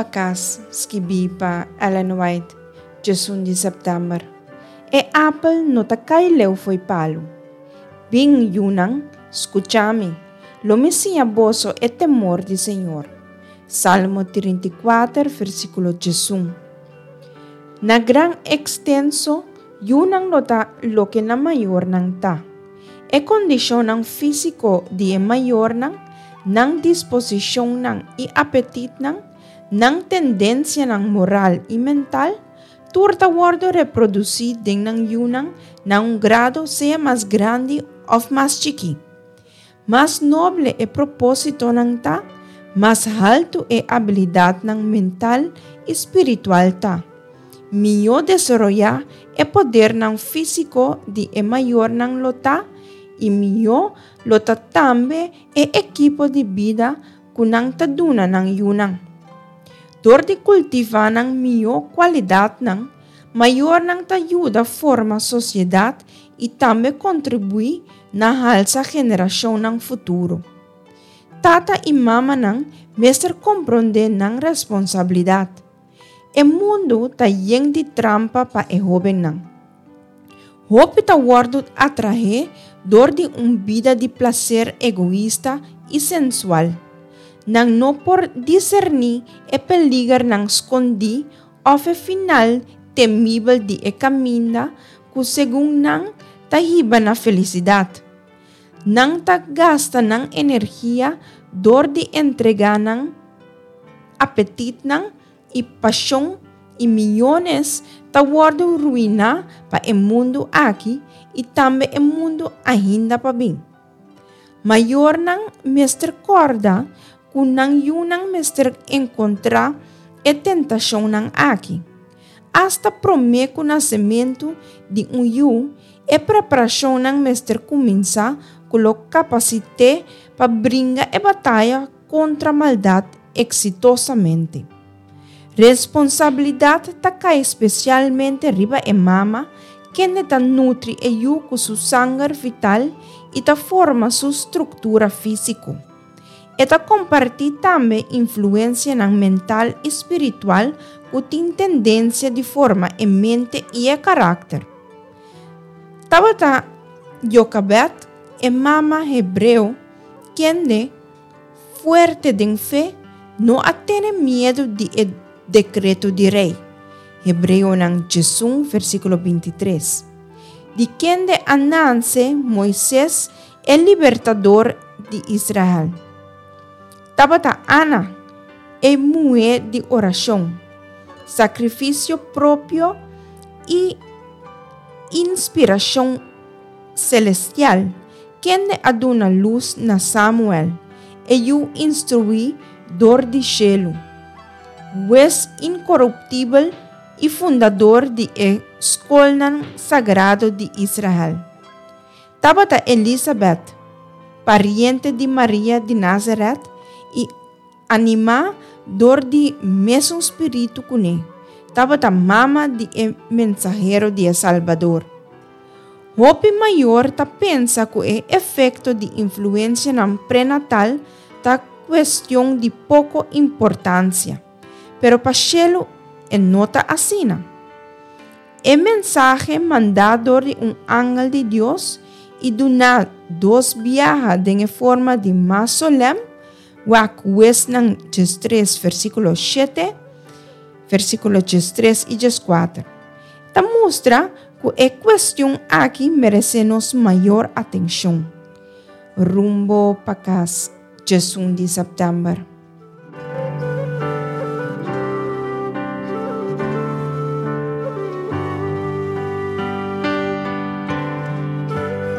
pa Kas, skibí pa Ellen White, djesun di sèptèmber. E apel no ta kai leu fo'i palu. Bin, yunan, skucha mi, lo mi siña boso e temor di Señor. Salmo 34, versíkulo 11. Na gran ekstenso, yunan lo ta loke nan mayornan ta. E kondishonnan físiko di e mayornan, nan disposishonnan i apetitnan, nan tendensianan moral i mental, tur ta wòrdu reprodusí den nan yunan na un grado sea mas grandi òf mas chikí. Mas noble e propósitonan ta, mas haltu e abilidatnan mental i spiritual ta. Mihó desaroyá e podernan físiko di e mayornan lo ta i mihó lo ta tambe e ekipo di bida ku nan ta duna nan yunan. Dor di kultivá nan mihó kualidatnan, mayornan ta yuda forma sosiedat i tambe kontribuí na halsa generashonnan futuro. Tata i mamanan mester komprondé nan responsabilidat. E mundu ta yen di trampa pa e hóbennan. Hopi ta wòrdu atraé dor di un bida di plaser egoista i sensual. Nan no por diserní e peligernan skondí òf e final temibel di e kaminda ku segun nan ta hiba na felisidat. Nan ta gasta nan energia dor di entregá nan apetitnan i pashon i miyones ta wòrdu ruiná pa e mundu aki i tambe e mundu ainda pa bin. Mayornan mester kòrda ku nan yunan mester enkontrá e tentashonnan aki. Asta promé ku nasementu di un yu, e preparashonnan mester kuminsá ku lo kapasit'é pa bringa e bataya kontra maldat eksitosamente. Responsabilidat ta kai spesialmente riba e mama, kende ta nutri e yu ku su sanger vital i ta forma su struktura físiko. E ta kompartí tambe influensianan mental i spiritual ku tin tendensia di forma e mente i e karakter. Tabata Jokabed, e mama hebreo, kende, fuerte den fe, no a tene miedu di e dekreto di rei, Hebreonan 11 versíkulo 23, di kende a nanse Moises E libertador di Israel. Tabata Ana, e muhé di orashon, sakrifisio propio i inspirashon selestial, kende a duna lus na Samuel, e yu instruí dor di shelu, hues inkoruptibel i fundador di e skolnan sagrado di Israel. Tabata Elisabet, pariente di Maria di Nazaret i animá dor di mesun spiritu kuné, tabata mama di e mensahero di e Salbador. Hopi mayor ta pensa ku e efekto di influensianan prenatal ta kuestion di poko importansia, pero pa shelu e no ta asina. E mensahe mandá dor di un angel di Dios i duná dos biaha den e forma di mas solèm, wak Huesnan 13 versíkulo 7, versíkulo 13 i 14, ta mustra ku e kuestion aki meresé nos mayor atenshon. Rumbo pa kas 11 di sèptèmber.